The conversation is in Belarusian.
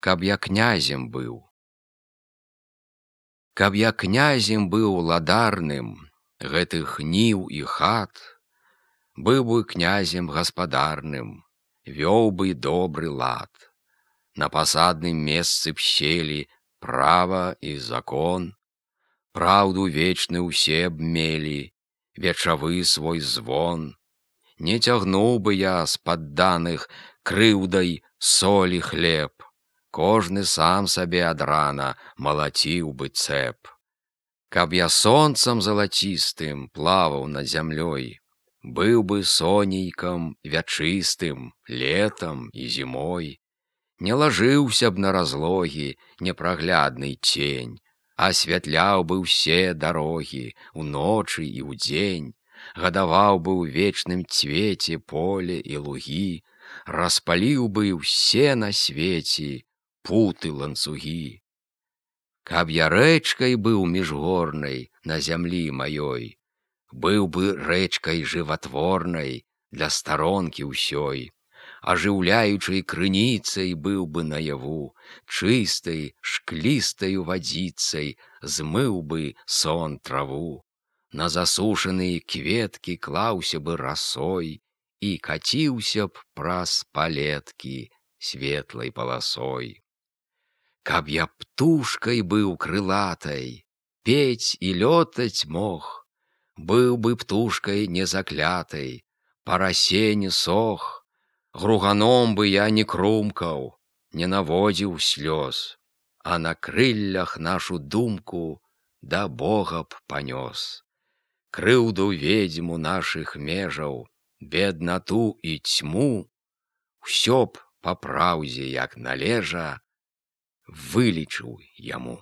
каб я князем быў. Каб я князем быў ладарным гэтых ніў і хат, быў бы князем гаспадарным, вёў бы добры лад. На пасадным месцы б селі права і закон, праўду вечны ўсе б мелі, вечавы свой звон. Не цягнуў бы я з падданых крыўдай солі хлеб, кожны сам сабе ад рана малаціў бы цэп. Каб я сонцам залацістым плаваў над зямлёй, быў бы сонейкам вячыстым летам і зімой. Не лажыўся б на разлогі непраглядны цень, асвятляў бы ўсе дарогі уночы і ўдзень, гадаваў бы ў вечным цвеце поле і лугі, распаліў бы ўсе на свеце путы ланцугі. Каб я рэчкай быў міжгорнай на зямлі маёй, быў бы рэчкай жыватворнай для старонкі ўсёй, ажыўляючай крыніцай быў бы наяву, чыстай шклістаю вадзіцай змыў бы сон траву. На засушаныя кветкі клаўся бы расой і каціўся б праз палеткі светлай паласой. Каб я птушкай быў крылатай, пець і лётаць мог, быў бы птушкай незаклятай, па расе не сох, груганом бы я не крумкаў, не наводзіў слёз, а на крыллях нашу думку да Бога б панёс. Крыўду ведзьму нашых межаў, беднату і цьму, усё б па праўдзе, як належа, вылічыў яму.